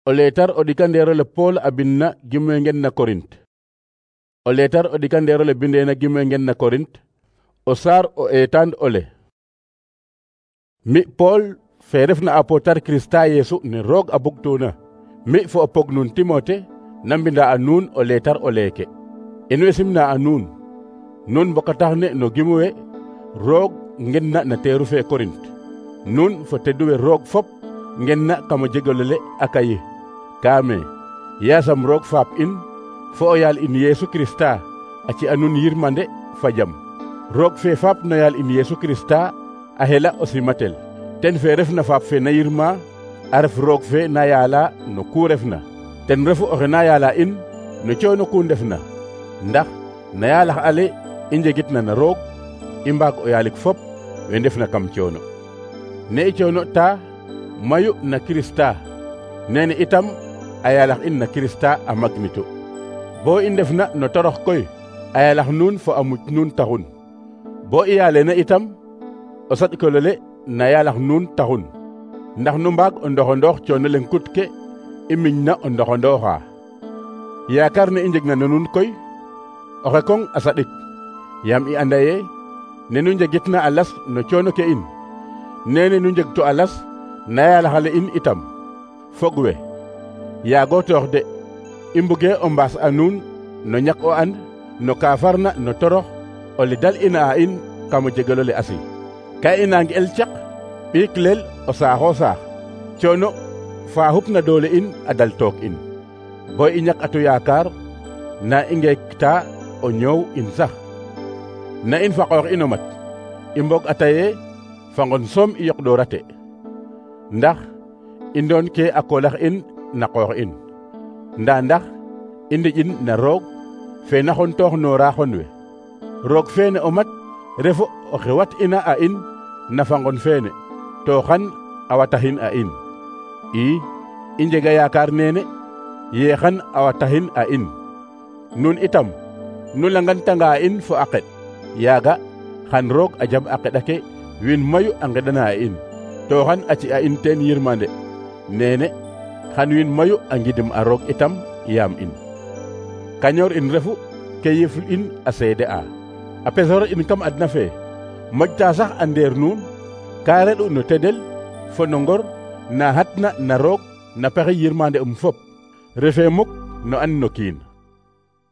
O leetar o ɗikandeero le Pool a bindna gimwe ngen na Korint. O leetar o ɗikandeero le bindeena gimwe ngen na Korint, o saar o eetaan ole. Mi Pool fe refna apotar Kirista Yeesu ne roog a bugtuna, mi fo o pog nuun Timote na mbinda a nuun o leetar o leeke. In way simna a nuun, nuun mbokatax ne no gimwe roog ngenna na teeru fe Korint. Nuun fo teduwe roog fop ngenna kamo jegolole a kayi. Kaame yaasam roog faap in fo o yaal in Yeesu Kirista a ci a nuun yirmande fa jam. Roog fe faap no yaal in Yeesu Kirista a hela o simatel. Ten fe refna faap fe na yirma a ref roog fe na yaala no ku refna. Ten refu oxe na yaala in no coono ku ndefna. Ndax na yaalax ale i njegitna na roog i mbaag o yaalik fop we ndefna kam coono. Ne i coono ta mayu na Kirista, nene itam a yaalax in na Kirista a magnitu. Bo i ndefna no torox koy a yaalax nuun fo a muc nuun taxun. Bo i yaalena itam o saɗkolole na yaalax nuun taxun. Ndax nu mbaag o ndoxondoox coono leŋ kut ke i miñna o ndoxondooxa. Yaakar ne i njegna no nuun koy oxe koŋ a saɗik, yaam i anda ye ne nu njegitna a las no coono ke in, nene nu njegtu a las na yaalaxale in itam. Fog we yaago toox de, i mbuge o mbaas a nuun no ñak o and no ka farna no torox ole dal ina a in kamo jegelole asi. Ka i nange'el caq ɓiik leel o saaxo saax, coono fa xupna doole in a dal took in, bo i ñak atu yaakar na i ngeekta o ñoow in sax. Na in fa qoox ino mat i mbog ataye fa ngon soom i yoqdoorate, ndax i ndoon ke a koolax in na qoox in, ndaa ndax i ndiƴin na roog fe na xontoox noora xon we. Roog feene o mat refu oxe wat ina a in na fa ngon feene, to xan a wataxin a in. I njega yaakar neene ye xan a wataxin a in. Nuun itam nu langantanga a in fo a qeɗ, yaaga xan roog a jaɓ a qeɗake wiin mayu a ngeɗana a in, to xan a ci a in teen yirmande. Nene xan wiin mayu a ngidim a roog itam yaam in. Kañoor in refu ke yif in a seede a. A pesor in kam adna fe moƴta sax a ndeer nuun ka reɗ'u no tedel fo no ngor na hatna na roog na pexe yirmande fop, refe muk no an no kiin.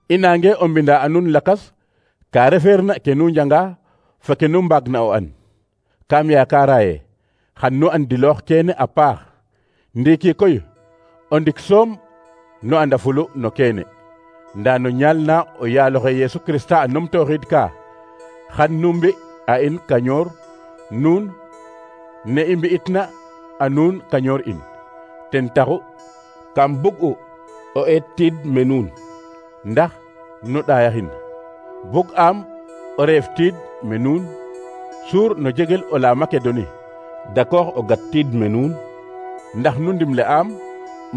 I nange o mbinda a nuun lakas ka refeerna ke nu njanga fo ke nu mbaagna o an. Kam yaakara ye xan nu andiloox keene a paax. Ndiiki koy o ndik soom nu andafulu no keene, ndaa no ñaal na o yaaloxe Yeesu Kirista a numtooxiid ka xan nu mbi a in kañoor nuun ne i mbi'itna a nuun kañoor in. Ten taxu kam bug'u o eet tiid me nuun, ndax nu ɗaayaxin. Bug'aam o reef tiid me nuun suur no jegel o la Makedoni, dakoox o gat tiid me nuun, ndax nu ndimle'aam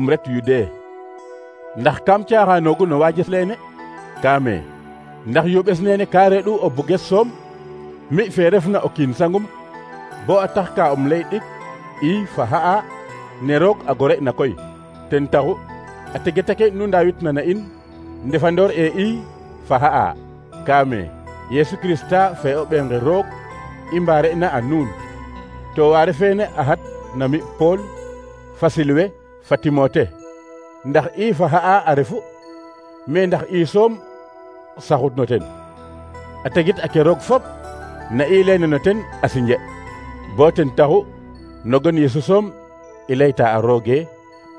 ret Yudee. Ndax kam caaxaanoogu no waajes leene? Kaame ndax yuɓes neene ka reɗ'u o buges soom? Mi fe refna o kiin sangum bo a tax ka um lay ɗik i fa xa'a ne roog a gore'na koy. Ten taxu a tegetake nu ndaawitna na in ndefandoor e i fa xa'a. Kaame Yeesu Kirista fe o ɓeenge roog i mbare'na a nuun, to waare feene a xat na mi Pool fa Silwe fa Timote. Ndax i fa xa'a a refu, me ndax i soom saxut no ten. A tegit ake roog fop na i leene no ten a sinje, bo ten taxu nogon Yeesu soom i layta a rooge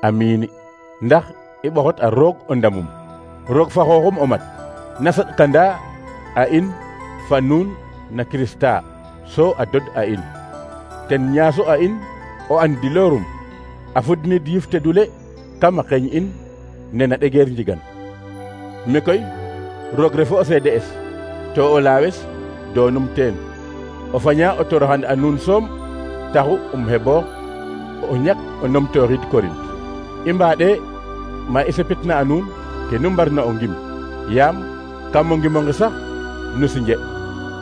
amiini. Ndax i ɓoxot a roog o ndamum. Roog fa xooxum o mat na saɗkanda a in fa nuun na Kirista so a dod a in. Ten ñaasu a in o andiloorum a fudnid yif tedule kam a qeeñ in nena ɗegeer njigan. Mi koy roog refu o seede es, to o laawes doonum teen. O faña o toroxan a nuun soom taxu heɓoox o ñak o numtooxiid Korint. I mbaɗe ma i sepitna a nuun ke nu mbarna o ngim, yaam kam o ngimonge sax nu sinje.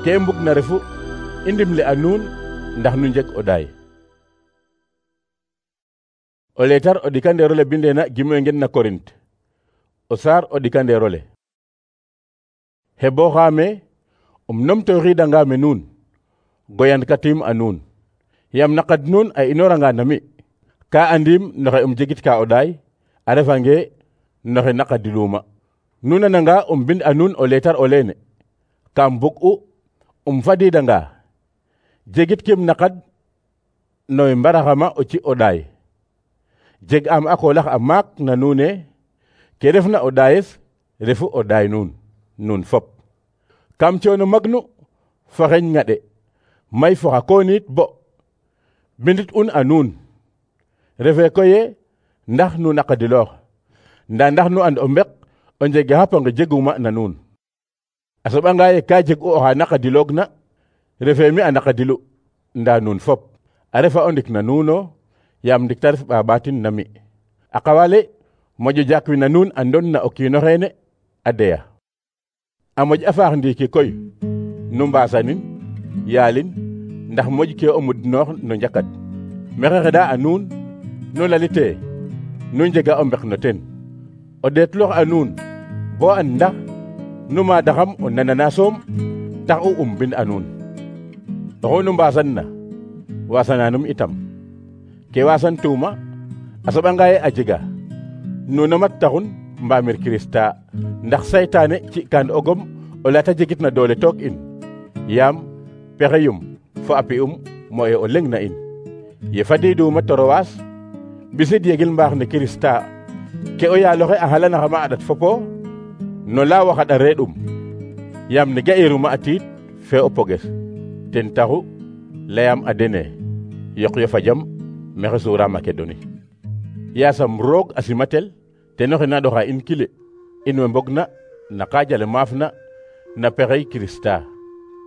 Ke i mbugna refu i ndimle a nuun ndax nu njeg o ɗaay. o letar o ɗikandeerole bindeena gimwe ngen na Korint o saar o ɗikandeerole hebo xaame numtoxiidanga me nuun goyankatim a nuun yam naqad nuun a inoranga nami ka andim noxe jegit ka o ɗaay a refange noxe naqadiluma nuun ananga bind a nuun o letar o leene kam bug'u fadidanga jegit kim naqad nowe mbaraxama o ci o ɗaay jeg am a koolax a maak na nuune ke refna o ɗaayes refu o ɗaay nuun fop kam coono magnu fo xeñ ŋaɗe may fo xa kooniit bo bindit un a nuun refe koye ndax nu naqadiloox nda ndax nu and o mbek o njege xapange jeguma na nuun a soɓanga ye ka jeg u oxa naqadiloog na refe mi a naqadilu nda nuun fop a refa o ndik na nuuno yam ndik ta ref ɓaɓatin na mi a qawale moƴo jakwi na nuun a ndon na o kiino xeene a deya a moƴ a faax ndiiki koy nu mbasanin yaalin ndax moƴ ke o mudnoox no njakat maxey xeɗa a nuun nu lalite nu njega o mbek no ten o ɗeetloox a nuun bo an ndax nu maadaxam o nanana soom tax u bind a nuun oxu nu mbasan na wasananum itam ke wasan tuuma a soɓanga ye a jega nuno mat taxun mbamir Kirista ndax saytaane ci kaan ogom o lata jegit na doole took in yaam pexeyum fo a pi'um moye o leng na in ye fadiduma torowaas bisid yegil mbaax ne Kirista ke o yaaloxe a xalanaxama a ɗat fopo no la waxaɗa reɗum yaam ne ga'iruma a tiid fe o poges ten taxu layam a dene yoq yo fa jam maxey suura Makedoni yaasam roog a simatel teno xe na ɗoxa in kile in we mbogna na kaajale maafna na pexey Kirista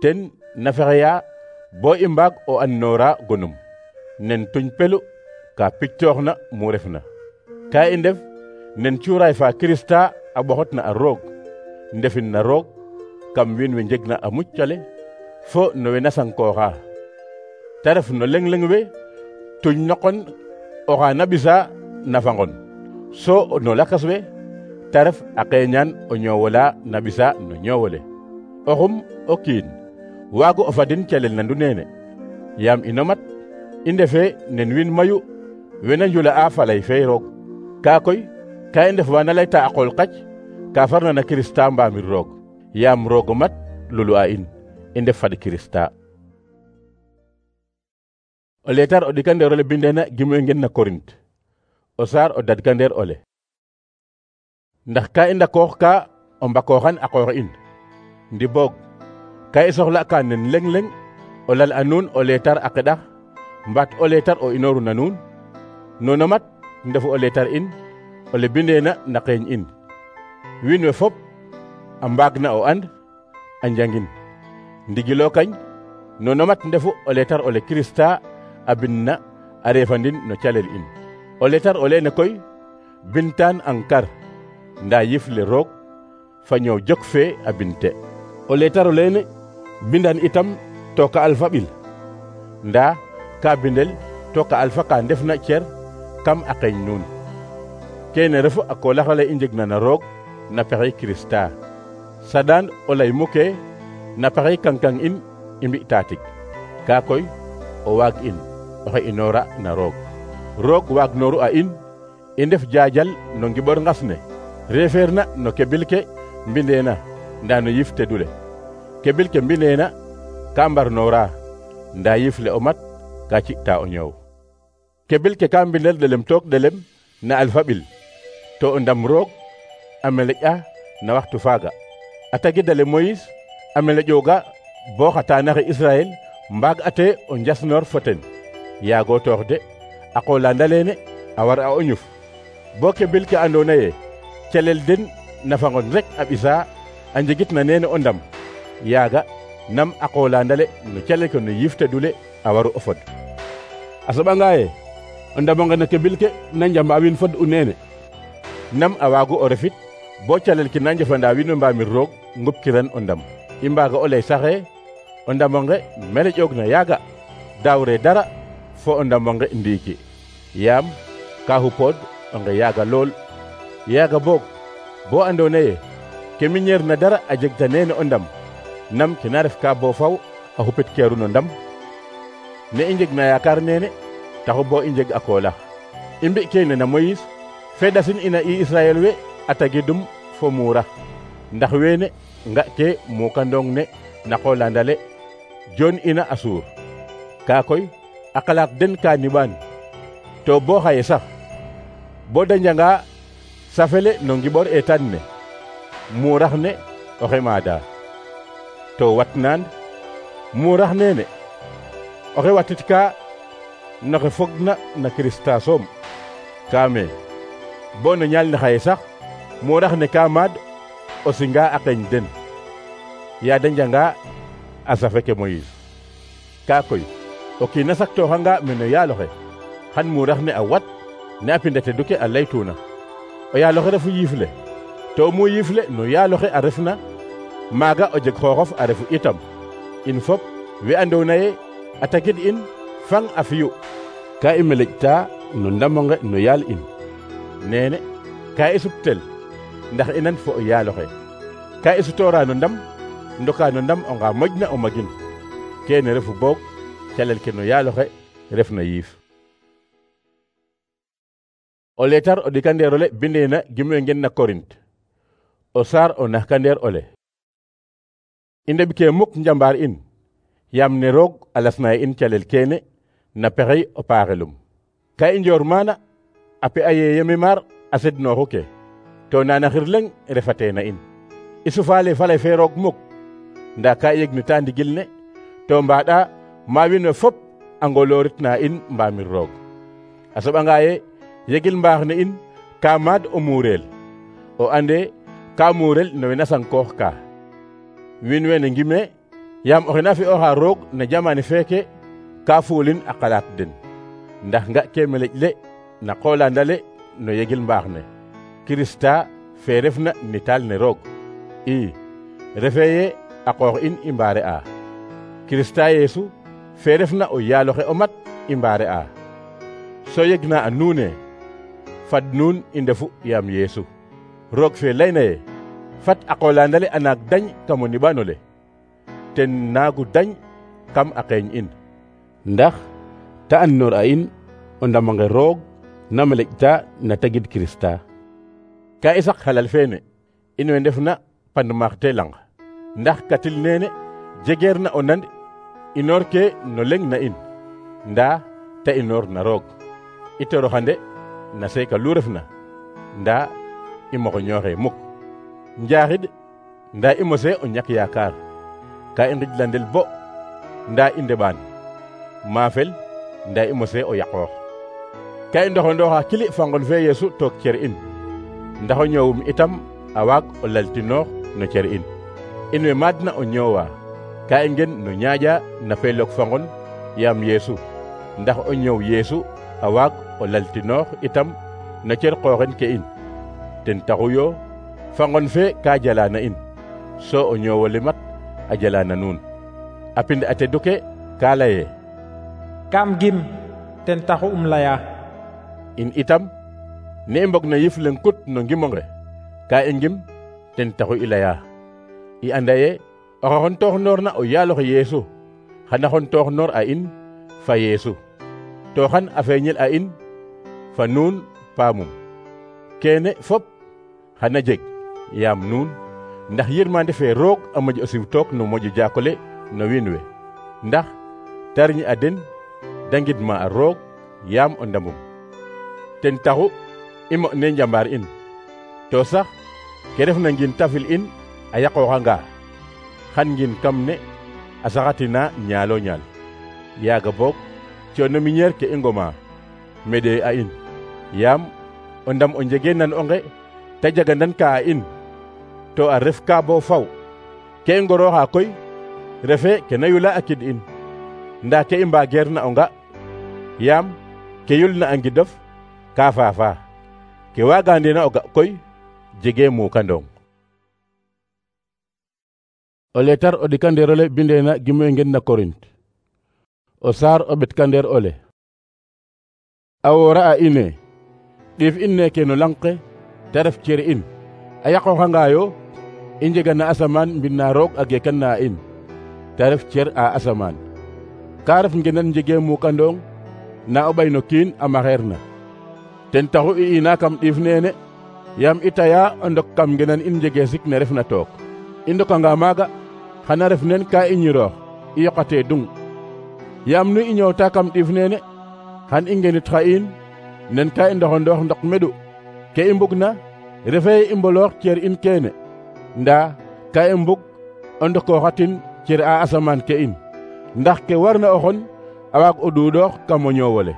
ten na fexeya bo i mbaag o annoora gonum nen tuñ pelu ka pictooxna mu refna ka i ndef nen cuuraay fa Kirista a ɓoxotna a roog ndefin na roog kam wiin we njegna a muccale fo no we na sankooxa ta ref no leng-leng we tuñ noqon oxa na ɓisa nafangon so no lakas we ta ref a qeeñaan o ñoowola na ɓisa no ñoowole oxum o kiin waagu o fadin calel nandu neene yaam ino mat i ndefe nen wiin mayu wena njula'a falay fe roog kaa koy ka i ndef wana layta a qool qac ka farna na Kirista mbaamir roog yaam roog o mat lulu a in i ndef fad Kirista o letar o ɗikandeerole bindeena gimwe ngen na Korint o saar o dadkandeer ole ndax ka i ndakoox ka o mbakooxan a qoox in ndi boog ka i soxla ka nen leng-leng o lal a nuun o letar a qeɗax mbaat o letar o inooru na nuun nono mat ndefu o letar in ole bindeena na qeeñ in wiin we fop a mbaagna o and a njangin ndigilo kañ nono mat ndefu o letar ole Kirista a binna a refandin no calel in o letar o leene koy bintaan ankar nda yif le roog fa ñoow jok fe a binte o letar o leene bindan itam to ka alfa ɓil nda ka bindel to ka alfa ka ndefna cer kam a qeeñ nuun kene refu a koolaxale i njegna na roog na pexey Kirista saɗaan o lay muke na pexey kankang in i mbi taatik ka koy o waag in oxe inoora na roog roog waag nooru a in i ndef jaajal no ngiɓor ngas ne refeerna no kebil ke mbindeena nda no yif tedule kebil ke mbindeena ka mbarnoora nda yif le o mat ka ci'ta o ñoow kebil ke ka mbindel delem took delem na alfa ɓil to o ndam roog a meleƴa na waxtu faaga a tagidale Moïse a meleƴooga bo xa taanaxe Israel mbaag ate o njasnoor fo ten yaago toox de a qoolanda leene a war a o ñuf bo kebil ke andoona ye calel den nafangon rek a ɓisa a njegit na neene o ndam yaaga nam a qoolandale no calel ke no yiftedule a waru o fod a soɓanga ye o ndamonge no kebil ke na njamba wiin fod u neene nam a waagu o refit bo calel ke na njefanda wiin we mbaamir roog ngupkiran o ndam i mbaaga o lay saxe o ndamonge meleƴoog na yaaga daawre dara fo o ndamonge ndiiki yaam ka xupood o nge yaaga lool yaaga boog bo andoona yee ke miñeer na dara a jegta neene o ndam nam kena ref ka bo faw a xupit keeru no ndam ne i njeg na yaakaar neene taxu bo i njeg a koolax i mbi kene na Moyis fe ɗasin ina i Israel we a tagidum fo muura ndax weene nga ke mukandong ne na qolandale joon ina a suur kaa koy a qalaat den ka niɓaan to bo xaye sax bo da njanga safele no ngiɓor eetaan ne muurax ne oxe maada to watnaan muurax neene oxe watit ka noxe fogna na Kirista soom kaame bo no ñaal ne xaye sax muurax ne ka maad o singa a qeeñ den yaa da njanga a safe ke Moyis kaa koy o kiina saktooxanga meno yaaloxe xan muurax ne a wat ne a pinda tedu ke a laytuuna o yaaloxe refu yiif le to mu yiif le no yaaloxe a refna maaga o jeg xooxof a refu itam in fop we andoona yee a tagid in fang a fiyu ka i meleƴta no ndamonge no yaal in neene ka i suptel ndax i nan fo o yaaloxe ka i sutoora no ndam ndoka no ndam o nga moƴna o magin kene refu boog calel ke no yaaloxe ref na yiif o leetar o ɗikandeer ole bindeena gimwe ngen na Korint o saar o naxkandeer ole i ndeɓ ke muk njambaar in yaam ne roog a lasna in calel kene na pexey o paaxelum ka i njoor maana a pe'a ye yeme maar a sednooxu ke to naanaxir leŋ refate na in i sufaale faley fe roog muk ndaa ka i yegnita ndigil ne to mbaɗa ma wiin we fop a ngoloorit na in mbaamir roog a soɓanga ye yegil mbaax ne in ka maad o muureel o ande ka muurel no we na sankoox ka wiin wene ngime yaam oxe na fi'ooxa roog na jamane feeke ka fuulin a qalaat den ndax nga ke meleƴ le na qoolandale no yegil mbaax ne Kirista fe refna nitaal ne roog i refe ye a qoox in i mbaare a Kirista Yeesu fe refna o yaaloxe o mat i mbaare a so yegna a nuune fad nuun i ndefu yaam Yeesu roog fe layna ye fat a qoolandale a naak dañ kam o niɓanole ten naagu dañ kam a qeeñ in ndax ta andnoor a in o ndamonge roog na meleƴta na tagid Kirista ka i sak xalal feene in we ndefna pandmaax te lang ndax katil neene jegeer na o nand inoor ke no leŋ na in ndaa ta inoor na roog i toroxande na seeka lu refna ndaa i moxoñooxe muk njaaxid ndaa i mose o ñak yaakaar ka i ngijlandel bo ndaa i ndeɓaan maafel ndaa i mose o yaqoox ka i ndoxondooxa kili fa ngon fe Yeesu took cer in ndax o ñoowum itam a waag o laltinoox no cer in we maadna o ñoowa ka i ngen no ñaaƴa na feelook fa ngon yaam Yeesu ndax o ñoow Yeesu a waag o laltinoox itam no cer qooxen ke in ten taxu yo fa ngon fe ka jala na in so o ñoowole mat a jala na nuun a pind a teddu ke ka laye kam gim ten taxu laya in itam ne i mbog na yif leŋ kut no ngimonge ka i ngim ten taxu i laya i anda ye oxe xontooxnoor na o yaaloxe Yeesu xana xontooxnoor a in fa Yeesu to xan a feeñel a in fa nuun paamum kene fop xana jeg yaam nuun ndax yirmande fe roog a moƴ o siw took no moƴo jaakole no wiin we ndax ta riñ a den da ngidma a roog yaam o ndamum ten taxu i mo ne njambaar in to sax ke refna ngin tafil in a yaqooxanga xan ngin kam ne a saxatina ñaalo ñaal yaaga boog coono miñeer ke i ngoma meɗe a in yaam o ndam o njege nan onge ta jagandan ka a in to a ref ka bo faw ke i ngorooxa koy refe ke na yula a kid in ndaa ke i mbaageer na onga yaam ke yulna a ngidof ka faafa ke waagandena o ga koy jege mukandong o leetar o ɗikandeer ole bindeena gimwe ngen na Korint o saar o ɓetkandeer ole a woora a ine ɗiif in neke no lang ke te ref cer in a yaqooxangaayo i njega na asamaan mbind na roog a geekan na in te ref cer a asamaan. Ka ref ngenan njegee muukandong na o ɓay no kiin a maxeer na. Ten taxu i ina kam ɗiif neene yaam i taya o ndok kam ngenan in njegee sik ne refna took. I ndokanga maaga xana ref nen ka i ñiroox i yoqatee dung. Yaam nu i ñoowta kam ɗiif neene xan i ngenit xa in nen ka i ndoxondoox ndok meɗu. Ke i mbugna refee i mboloox cer in keene ndaa ka i mbug o ndokooxatin cer a asamaan ke in ndax ke warna o xon a waag o ɗuuɗoox kam o ñoowole.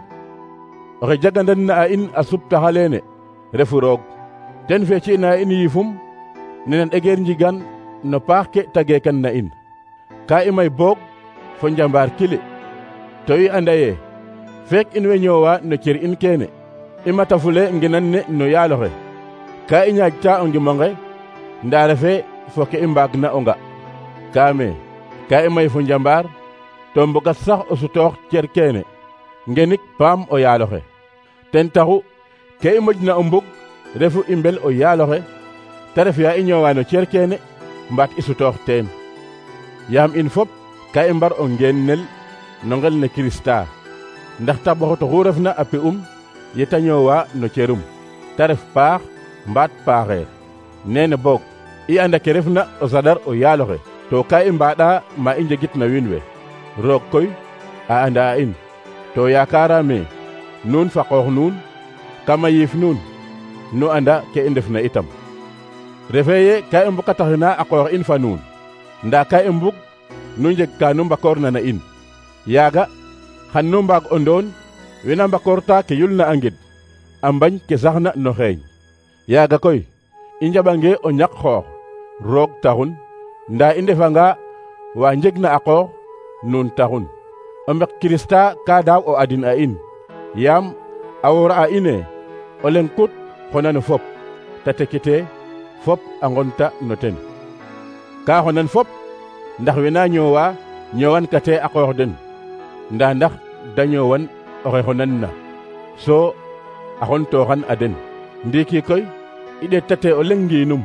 Oxe jagandan na a in a suptaxa leene refu roog, ten fe ci'na in yifum nenen egeer njigan no paax ke ta geekan na in. Ka i may boog fo njambaar kili to i anda ye feek in way ñoowa no cer in keene i matafule ngenan ne no yaaloxe. Ka i ñaajta o ngimonge ndaa refee fo ke i mbaagna o nga. Kaame ka i may fo njambaar to mbogat sax o sutoox cer keene ngenik paam o yaaloxe. Ten taxu ke i moƴna o mbug refu i mbel o yaaloxe te ref yaa i ñoowa no cer keene mbaat i sutoox teen. Yaam in fop ka i mbar o ngeenel no ngel ne Kirista ndax tabaxut oxu refna a pi'um yeta ñoowa no cerum te ref paax mbaat paaxeer. Neene boog i anda ke refna o saɗar o yaaloxe to ka i mbaɗa ma i njegit na wiin we. Roog koy a anda a in to yaakaarame nuun fa qoox nuun kama yiif nuun nu anda ke i ndefna itam. Refee ye ka i mbokataxina a qoox in fa nuun ndaa ka i mbug nu njeg ka nu mbakoorna na in. Yaaga xan nu mbaag o ndoon wena mbakoorta ke yulna a ngid a mbañ ke saxna no xeeñ. Yaaga koy i njaɓange o ñak xoox roog taxun ndaa i ndefanga wa njegna a qoox nuun taxun. O mbek Kirista ka daaw o adin a in yaam a woora a ine o leŋ kut xona no fop ta tekitee fop a ngonta no ten. Ka xonan fop ndax wena ñoowa ñoowan kate a qoox den ndaa ndax da ñoowan oxe xonan na so a xon tooxan a den. Ndiiki koy i ɗeetate o leŋ ngiinum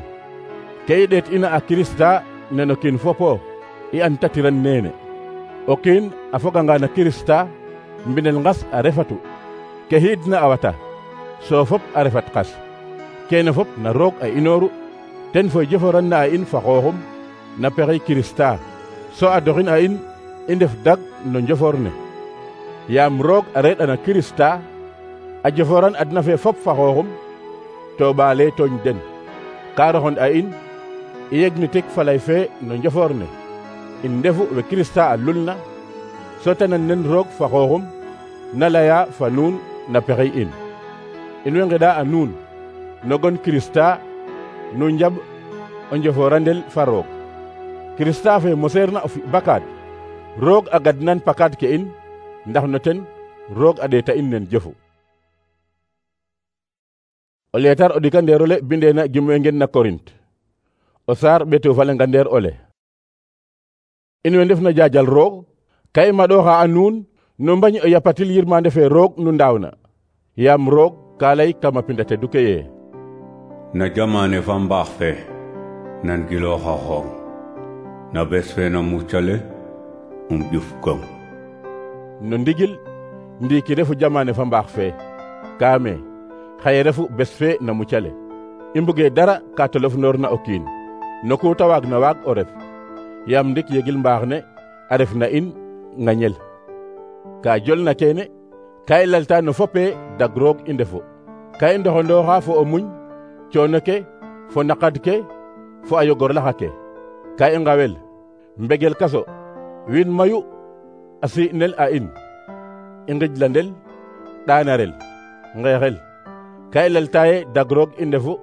ke i ɗeet ina a Kirista neno kiin fopo i antatiran neene. O kiin a foganga na Kirista mbinel ngas a refatu ke xiidna a wata so fop a refat qas. Keene fop na roog a inooru ten fo joforanna a in fa xooxum na pexey Kirista so a doxin a in i ndef dag no njofor ne. Yaam roog a reɗ'a na Kirista a joforan adna fe fop fa xooxum to ɓaale tooñ den. Ka roxon a in i yegnitik falay fe no njofor ne in ndefu we Kirista a lulna so tanan nen roog fa xooxum na laya fa nuun na pexey in. In way ngeɗa a nuun no gon Kirista nu njaɓ o njoforandel fa roog. Kirista fe moseerna o fi bakaad roog a gadnan pakaad ke in ndax no ten roog a ɗeeta in nen jofu. O leetar o ɗikandeer ole bindeena gimwe ngen na Korint o saar ɓeto fa lengandeer ole. In we ndefna jaajal roog ka i maɗooxa a nuun nu mbañ o yapatil yirmande fe roog nu ndaawna yaam roog ka lay kama pinda te duke ye na jamane fa mbaax fe nan gilooxa xoom na bes fe na muccale ƴuf gong. No ndigil ndiiki refu jamane fa mbaax fe kaame xaye refu bes fe na muccale i mbuge dara ka tolof noor na o kiin no ku ta waag na waag o ref yaam ndik yegil mbaax ne a ref na in ŋañel. Ka jolna keene ka i lalta no fope dag roog i ndefu ka i ndoxondooxa fo o muñ coono ke fo naqad ke fo a yogor laxa ke. Ka i ngawel mbegel kaso wiin mayu a si'nel a in i ngijlandel ɗaanarel ngeexel. Ka i lalta ye dag roog i ndefu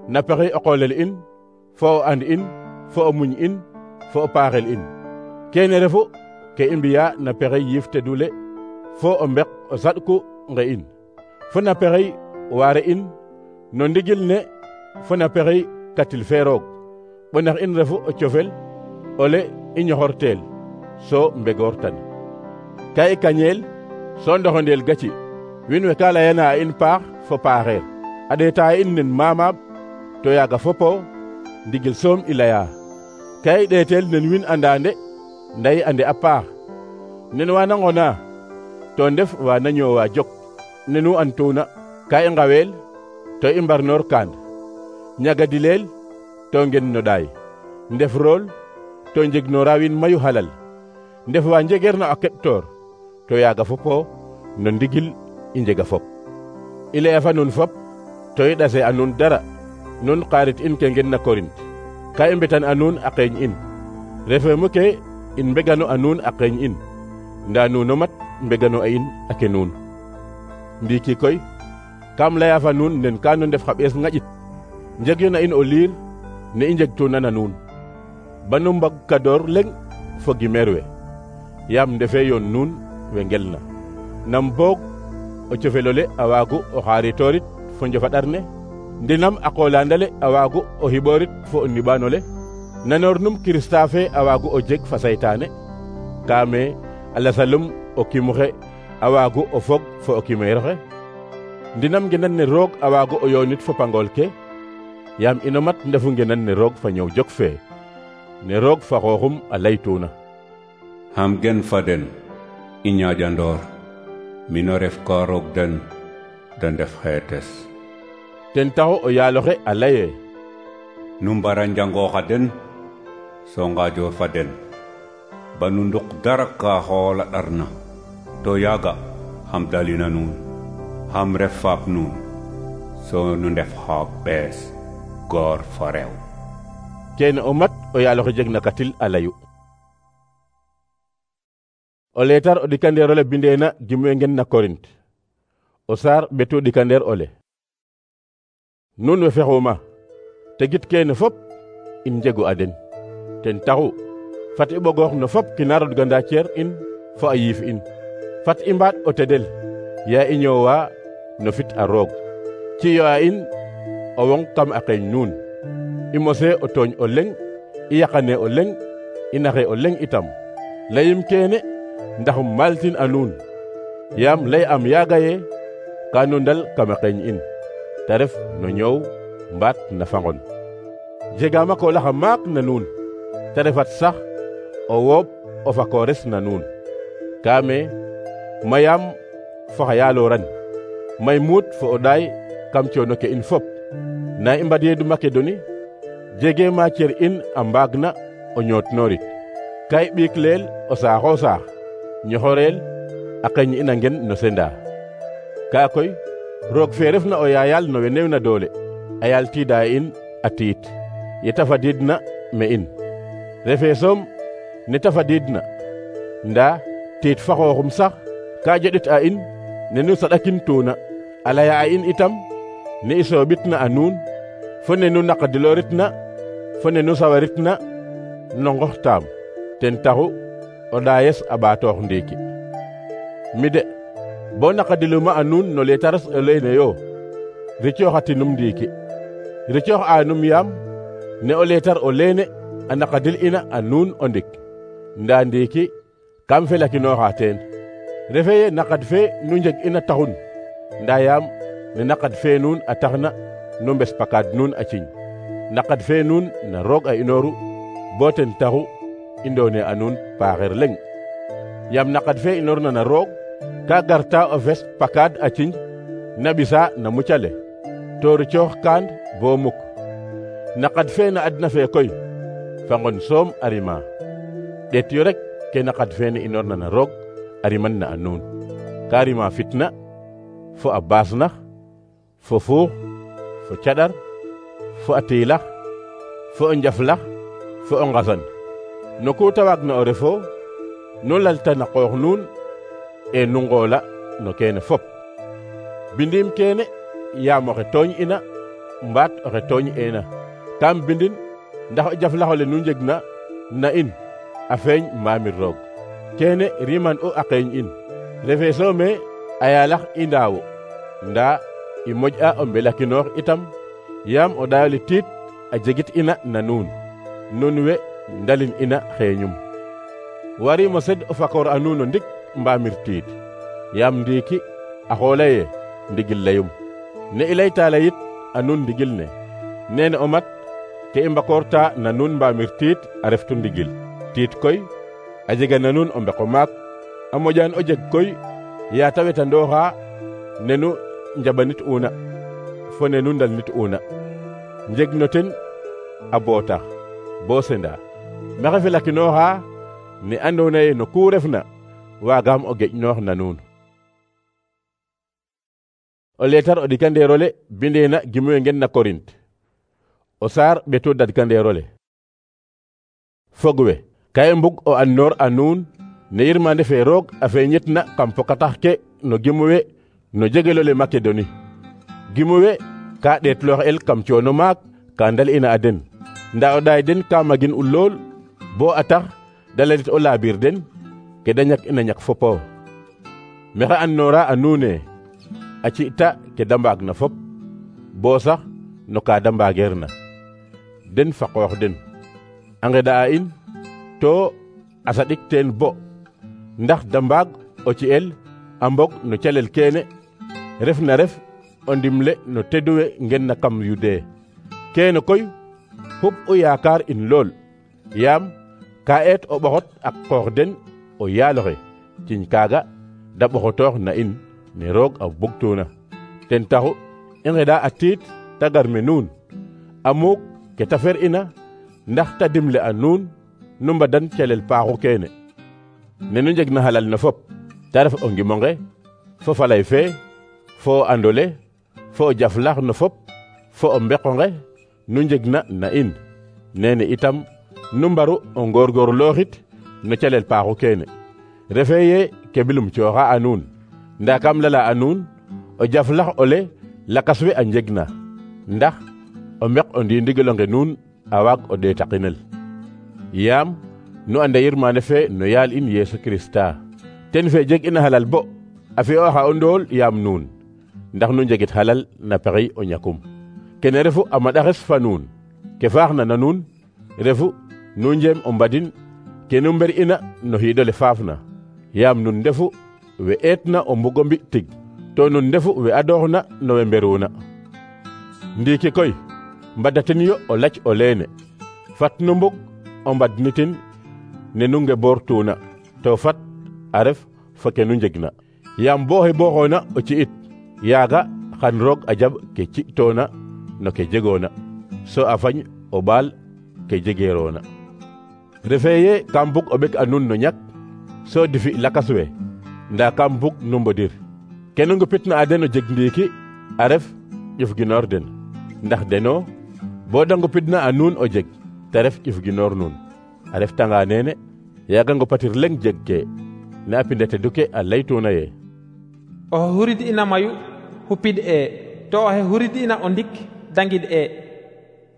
na pexey o qoolel in fo o and in fo o muñ in fo o paaxel in. Keene refu ke i mbiya na pexey yiif tedule fo o mbek o saɗku nge in fo na pexey waare in no ndigil ne fo na pexey katil fe roog ɓonax in refu o cofel ole i ñoxorteel so mbegoortan. Ka i kañeel so ndoxondeel gaci wiin we ka layana a in paax fo paaxeer a ɗeeta in nen maamaɓ to yaaga fopo ndigil soom i leya ka i ɗeetel nen win andande nda i ande a paax nen wana ngona to ndef wana ñoowa jok nenu antuna ka i ngaweel to i mbarnoor kaan ñagadileel to ngen no ɗaay ndef rool to njegnoora wiin mayu halal ndef wa njegeerna a keɓtoor to yaaga fopo no ndigil i njega fop i laya fa nuun fop to i ɗase a nuun dara nun xarit in ke ngen na Korint ka i mbetan a nuun a qeeñ in refe mu ke in mbegano a nuun a qeeñ in nda nuuno mat mbegano a in a ke nuun ndiiki koy kam leya fa nuun nen ka nu ndef xa ɓees ŋaƴit njegyo na in o liir ne i njegtuna na nuun banu mbag kadoor leŋ fo gimeer we yaam ndefe yoon nuun we ngelna nam boog o cofelole a waagu o xaritoorit fo njofaɗar ne ndinam a qolandale a waagu o xiɓoorit fo o niɓaanole nanoor num Kirista fe a waagu o jeg fa saytaane kaame a lasalum o kimuxe a waagu o fog fo o kimeeroxe ndinam ngenan ne roog a waagu o yoonit fo pangool ke yaam ino mat ndefu ngenan ne roog fa ñëw jok fee ne roog fa xooxum a laytuuna xam gen fa den i ñaaƴandoor mino ref ka roog den da ndef xeetes ten taxu o yaaloxe a laye nu mbara njangooxa den so ngaajoor fa den ba nu nduk dara ka xoola ɗarna to yaaga xam dalina nuun xam ref faap nuun so nu ndef xa ɓees goor fo rew kene o mat o yaaloxe jeg na katil a layu o leetar o ɗikandeer ole bindeena gimwe ngen na Korint o saar ɓetu ɗikandeer ole nuun we fexuma tegit kene fop in njegu a den ten taxu fat i ɓogoox no fop kina rodganda ceer in fo a yiif in fat i mbaat o tedel yaa i ñoowa no fit a roog ciyo a in o wong kam a qeeñ nuun i mose o tooñ o leŋ i yaqane o leŋ i naxe o leŋ itam layim kene ndax um maltin a nuun yaam lay am yaaga ye ka nu ndal kam a qeeñ in te ref no ñoow mbaat na fangon jegaama koolaxa maak na nuun te refat sax o wooɓ o fakoores na nuun kaame mayaam fo xa yaalooran may muut fo o ɗaay kam coono ke in fop na i mbadyeedu Makedoni jege ma cer in a mbaagna o ñootnoorit ka i ɓiik leel o saaxo saax ñoxoreel a qeeñ ina ngen no senda kaa koy roog fe refna o yaayal no we newna doole a yaal tiida in a tiit ye ta fadiidna me in refe soom ne ta fadiidna ndaa tiit fa xooxum sax ka joɗit a in ne nu saɗakin tuuna a laya a in itam ne i sooɓitna a nuun fo ne nu naqadilooritna fo ne nu sawaritna no ngoxtaam ten taxu o ɗaayes a ɓaatoox ndiiki mi de bo naqadiluma a nuun no leetares o leyne yo ricooxatinum ndiiki ricoox aanum yaam ne o leetar o leene a naqadil ina a nuun o ndik ndaa ndiiki kam felakinooxa teen refe ye naqad fe nu njeg ina taxun ndaa yaam ne naqad fe nuun a taxna nu mbes pakaad nuun a ciñ naqad fe nuun na roog a inooru bo ten taxu i ndoone a nuun paaxeer leŋ yaam naqad fe inoorna na roog ka garta o fes pakaad a ciñ na ɓisa na mucale to ricoox kaan bo muk naqad fe na adna fe koy fa ngon soom a rima ɗeet yo rek ke naqad fe ne inoorna na roog a riman na a nuun ka rima fitna fo a baasnax fo fuux fo caɗar fo a tiilax fo o njaflax fo o ngasan no ku ta waagna o refo nu lalta na qoox nuun e nu ngoola no keene fop bindim keene yaam oxe tooñ ina mbaat oxe tooñ eena kam bindin ndax o jaflaxole nu njegna na in a feeñ mbaamir roog kene riman u a qeeñ in refe soome a yaalax i ndaawu ndaa i moƴ'a o mbelakinoox itam yaam o ɗaayole tiit a jegit ina na nuun nun we ndalin ina xeeñum warimo sed o fakoor a nuun o ndik mbaamir tiit yaam ndiiki a xoola ye ndigil layum ne i layta layit a nuun ndigil ne nene o mat ke i mbakoorta na nuun mbaamir tiit a reftu ndigil. Tiit koy a jega na nuun o mbeko maak a moƴaan o jeg koy yaa ta wetandooxa nenu njaɓanit una fo nenu ndalnit una njeg no ten a bootax bo senda maxey felakinooxa ne andoona yee no ku refna waagaam o geƴnoox na nuun. O leetar o ɗikandeerole bindeena gimuwe ngen na Korint o saar ɓeto dadkandeerole. Fogwe ka i mbug o annoor a nuun ne yirmande fe roog a feeñitna kam pokatax ke no gimuwe no jegelole Makedoni. Gimuwe ka ɗeetloox el kam coono maak ka ndal ina a den nda o ɗaay den ka magin u lool bo a tax da lalit o laabiir den ke da ñak ina ñak fopo. Maxey annoora a nuune a ci'ta ke da mbaag na fop bo sax no ka da mbaageerna den fa qoox den a ngeɗa'a in to a saɗik teen bo ndax da mbaag o ci'el a mbog no calel keene ref na ref o ndimle no teduwe ngen na kam Yude. Keene koy xup o yaakaar in lool yaam ka eet o ɓoxot ak qoox den o yaaloxe ciñ kaaga da ɓoxotoox na in ne roog a bugtuuna. Ten taxu i ngeɗa a tiit ta gar me nuun a muuk ke ta fer ina ndax ta dimle a nuun nu mbadan calel paaxu keene ne nu njeg na halal na fop ta ref o ngimonge fo falay fe fo o andole fo o jaflax no fop fo o mbeqonge nu njeg na in nene itam nu mbaru o ngoorgoorlooxit no calel paaxu keene refe ye ke bilum cooxa a nuun nda kam lala a nuun o jaflax ole lakas we a njeg na ndax o mbeq o ndiindigelonge nuun a waag o ɗeetaqinel yaam nu anda yirmande fe no yaal in Yeesu Kirista ten fe jeg ina halal bo a fi'ooxa o ndool yaam nuun ndax nu njegit halal na pexey o ñakum. Kene refu a maɗaxes fa nuun ke faaxna na nuun refu nu njeem o mbadin ke nu mber ina no xiidole faafna yaam nun ndefu we eetna o mbugo mbi tig to nun ndefu we adooxna no we mberuuna. Ndiiki koy mbadaten yo o lac o leene fat nu mbug o mbadnitin ne nu ngeboortuuna to fat a ref fo ke nu njegna yaam bo xooxoona o ci'it yaaga xan roog a jaɓ ke ci'toona no ke jegoona so a fañ o ɓaal ke jegeeroona. Refee ye kam bug o ɓek a nuun no ñak so difi lakas we nda kam bug nu mbodir ke nu ngupitna a den o jeg ndiiki a ref ƴuf ginoor den ndax deno bo da ngupidna a nuun o jeg te ref ƴuf ginoor nuun a reftanga neene yaaga ngupatir leŋ jeg ke ne a pindete duke a laytuuna ye oxe hurid ina mayu xupid to oxe hurid ina o ndik dangid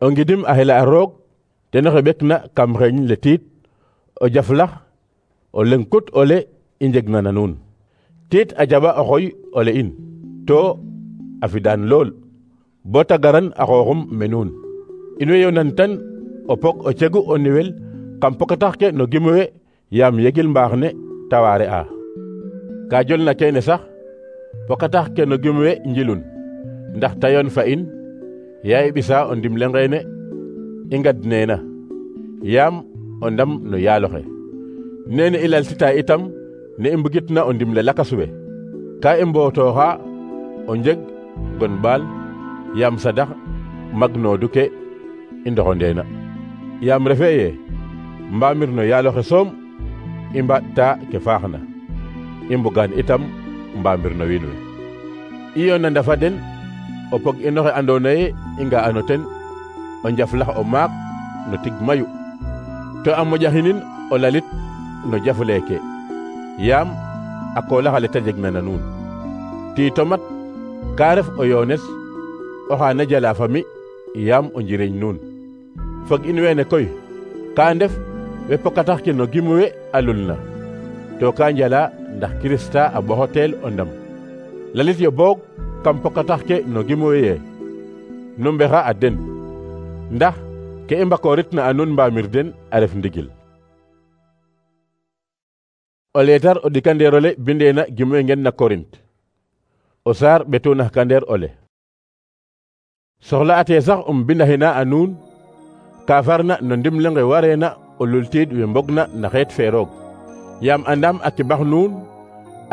o ngidim a xela a roog ten oxe ɓekna kam xeeñ le tiit o jaflax o leŋ kut ole i njegna na nuun tiit a jaɓa o xoy ole in to a fidaan lool bo ta garan a xooxum me nuun in way yonan tan o pok o cegu o niwel kam pokatax ke no gimuwe yaam yegil mbaax ne ta waare a ka jolna keene sax pokatax ke no gimuwe njilun ndax ta yoon fa in yaa i ɓisa o ndimle ngeene i ngad neena yaam o ndam no yaaloxe nene i laltita itam ne i mbugitna o ndimle lakas we ka i mbootoxa o njeg gon ɓaal yaam sadax magnoodu ke i ndoxondeena yaam refe ye mbaamir no yaaloxe soom i mbaɗta ke faaxna i mbugaan itam mbaamir no wiin we i yoona ndafa den o pog inoxe andoona ye i nga'ano ten o njaflax o maak no tig mayu to a moƴaxinin o lalit no jaf leeke yaam a koolax ale ta jegna na nuun tiito mat ka ref o yoones oxa na jala fa mi yaam o njiriñ nuun fog in weene koy ka ndef we pokatax ke no gimuwe a lulna to ka njala ndax Kirista a ɓoxotel o ndam lalit yo boog kam pokatax ke no gimuwe ye nu mbexa a den ndax ke i mbakooritna a nuun mbaamir den a ref ndigil. O leetar o ɗikandeerole bindeena gimuwe ngen na Korint o saar ɓeto naxkandeer ole soxla ate sax bindaxina a nuun ka farna no ndimle wareena o lultiid we mbogna na xeet fe roog yaam andam a kibax nuun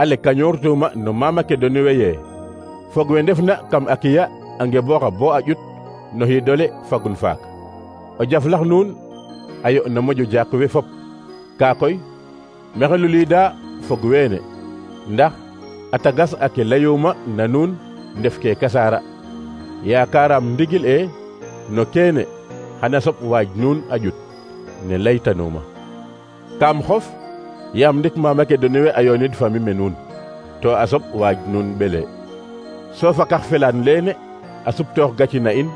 a lekañoortuma no mama ke doni weye fog we ndefna kam a kiya a ngebooxa bo a ƴut no xiidole fagun faak o jaflax nuun a yo no moƴo jaak we fop kaa koy maxey luliida fog weene ndax a tagas a ke layuuma na nuun ndef ke kasaara yaakaaraam ndigil no keene xana soɓ waaj nuun a ƴut ne laytanuuma kaam xof yaam ndik mama ke doniwe a yoonid fami me nuun to a soɓ waaj nuun ɓele so fakax felaan leene a suptoox gaci na in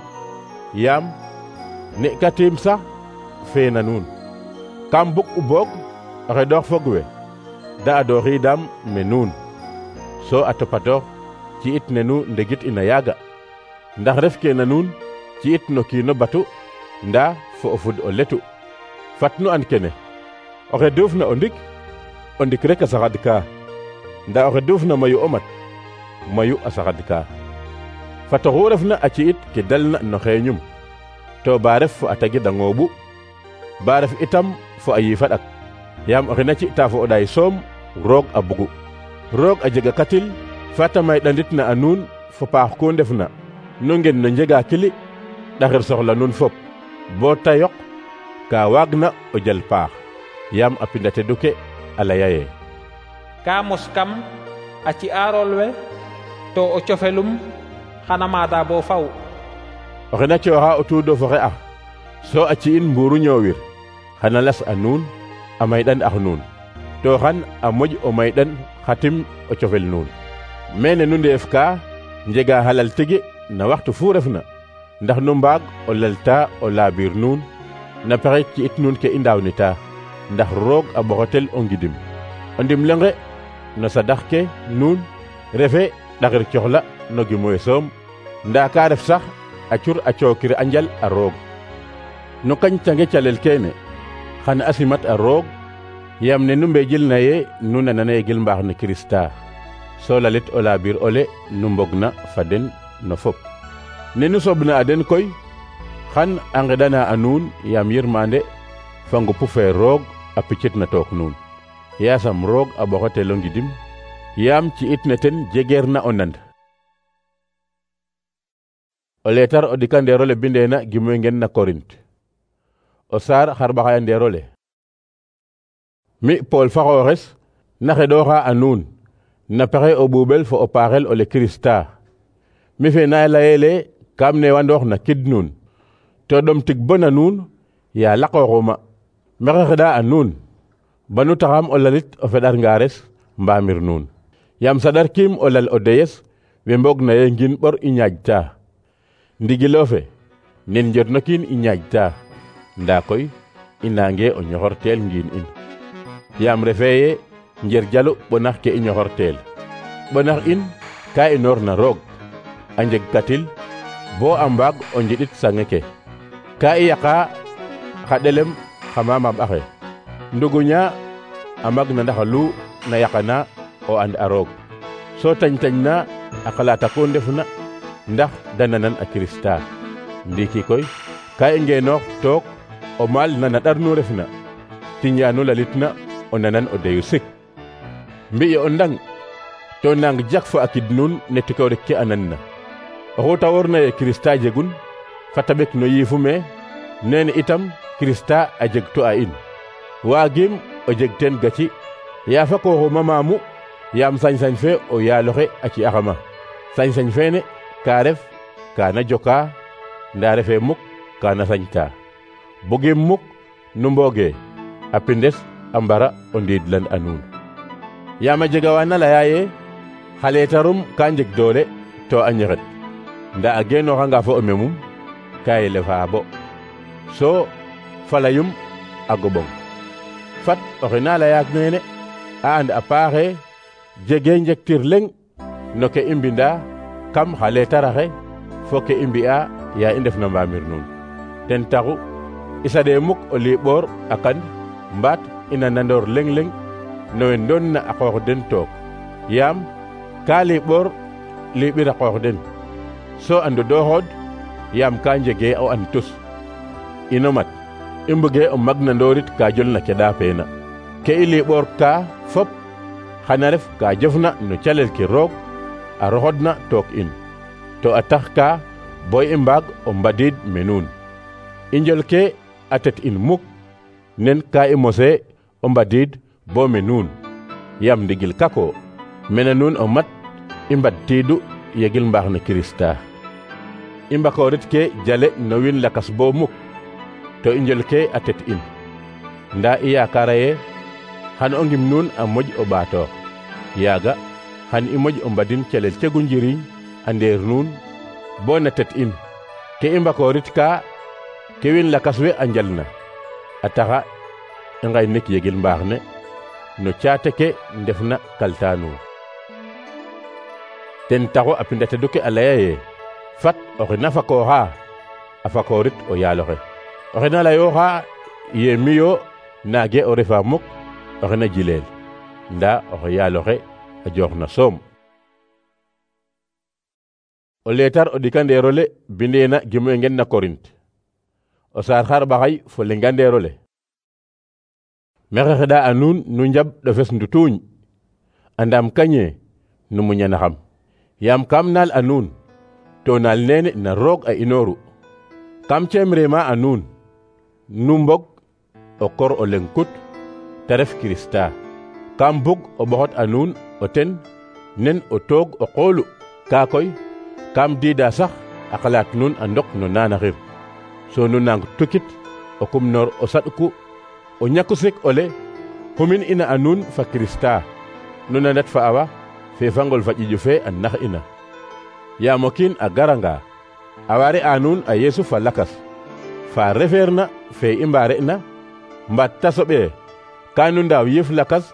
yaam ne katiim sax feena nuun kam bug u boog xeɗoox fog we da adooxiidaam me nuun so a topatoox ci it ne nu ndegit ina yaaga ndax ref ke na nuun ci it no kiino batu ndaa fo o fud o letu fat nu and kene oxe duufna o ndik rek a saxad kaa ndaa oxe duufna mayu o mat mayu a saxad kaa fat oxu refna a ci it ke dalna no xeeñum to ba ref fo a tagid a ngooɓu ba ref itam fo a yiifa ɗak yaam oxe na ci'ta fo o ɗaay soom roog a bugu roog a jega katil fata may ɗanditna a nuun fo paax ku ndefna nu ngen no njega kili ɗaxir soxla nuun fop bo ta yoq ka waagna o jal paax yaam a pinda tedu ke a laya ye ka mos kam a ci'aarol we to o cofelum xana maada bo faw oxe na cooxa o tuudo fo xe ax so a ci'in mbuuru ñoowir xana las a nuun a mayɗan ax nuun to xan a moƴ o mayɗan xatim o cofel nuun mene nu ndeef ka njega halal tigi na waxtu fu refna ndax nu mbaag o lalta o laabiir nuun na pexe ci it nuun ke i ndaawnita ndax roog a ɓoxotel o ngidim o ndimlenge no sadax ke nuun refe ɗaxir coxla no gimoy soom ndaa ka ref sax a cur a cookir a njal a roog no kañcange calel keene xan a simat a roog yaam ne nu mbejil na ye nu nanana ye gil mbaax ne Kirista so lalit o laabiir ole nu mbogna fa den no fop ne nu soɓna a den koy xan a ngeɗana a nuun yaam yirmande fa ngupu fe roog a picit na took nuun yaasam roog a ɓoxotelo ngidim yaam ci it ne ten jegeer na o nand o leetar o ɗikandeerole bindeena gimoy ngen na Korint o saar xarɓaxayandeerole mi Pool fa xooxes na xeɗooxa a nuun na pexe o ɓuuɓel fo o paaxel ole Kirista mi fe na layeele kam newandoox na kid nuun to ɗom tig bo na nuun yaa laqooxuma maxey xeɗa a nuun banu taxam o lalit o feɗar ngaares mbaamir nuun yaam saɗarkiim o lal o deyes we mbog na ye ngin ɓor i ñaajta ndigilo fe nen njotno kiin i ñaajta ndaa koy i naange o ñoxorteel ngiin in yaam refee ye njer jalu ɓonax ke i ñoxorteel ɓonax in ka inoor na roog a njeg katil bo a mbaag o njiɗit sange ke ka i yaqa xa ɗelem xa mamaɓ axe nduguña a mag na ndax lu na yaqana o and a roog so tañ-tañ na a xalaata ku ndefna ndax da nanan a Kirista ndiiki koy ka i ngeenoox took o maal nana ɗar nu refna tiñaanu lalitna o nanan o deyu sik mbi'ye o ndang to nang jak fo a kid nuun ne tikoorik ke a nanna oxu ta worna ye Kirista jegun fata ɓek no yiifu me nene itam Kirista a jeg to a in waagim o jeg teen gaci yaa fa kooxuma maamu yaam sañ-sañ fe o yaaloxe a ci'axama sañ-sañ feene ka ref kaana joka ndaa refe muk kaana sañta bugim muk nu mbooge a pindes a mbara o ndiidlan a nuun yaam a jega waa na laya ye xa leetarum ka njeg doole to a ñexet ndaa a geenooxanga fo o memum ka yelefa bo so falayum a goɓong fat oxe na layaak neene a and a paaxe jege njektir leŋ no ke i mbinda kam xa leetaraxe fo ke i mbi'a yaa i ndefna mbaamir nuun ten taxu i saɗee muk o liiɓoor a kan mbaat ina nandoor leŋ-leŋ no we ndoon na a qoox den took yaam ka liiɓoor liiɓir a qoox den so a ndodooxood yaam ka njege o an tus ino mat i mbëgge o magnandoorit ka jolna ke ɗaafeena ke i liɓoor ka fop xana ref ka jofna no calel ke roog a roxodna took in to a tax ka bo i mbaag o mbadiid me nuun i njol ke a tet in muk nen ka i mose o mbadiid bo me nuun yaam ndigil kako mene nuun o mat i mbadtiidu yegil mbaax ne Kirista i mbakoorit ke jale no wiin lakas bo muk to i njol ke a tet in ndaa i yaakaara ye xan o ngim nuun a moƴ o ɓaatoox yaaga xan i moƴ o mbadin calel cegu njiriñ a ndeer nuun bo na tet in ke i mbakoorit ka ke wiin lakas we a njalna a taxa i ngaynik yegil mbaax ne no caate ke ndefna kalta nuun ten taxu a pindatedu ke a laya ye fat oxe na fakooxa a fakoorit o yaaloxe oxe na layooxa ye miyo naage o refa muk oxe na jileel ndaa oxe yaaloxe a joox na soom o leetar o ɗikandeerole bindeena gimwe ngen na Korint o saar xar ɓaxay fo lengandeerole mexe xeɗa a nuun nu njaɓ ɗofes ndutuuñ andam kañe nu muñanaxam yaam kam naal a nuun to naal neene na roog a inooru kam ceemrema a nuun nu mbog o kor o leng kut te ref Kirista kam bug o ɓoxot a nuun o ten nen o toog o qoolu kaa koy kam diida sax a xalaat nuun a ndok no naanaxir so nu nang tukit o kumnoor o saɗku o ñaku sek ole xumin ina a nuun fa Kirista nu nandat fa awa fe fangol fa ƴiƴu fe a nax ina yaam o kiin a garanga a waare a nuun a Yeesu fa lakas fa refeerna fe i mbaare na mbaat ta soɓee ka nu ndaaw yëf lakas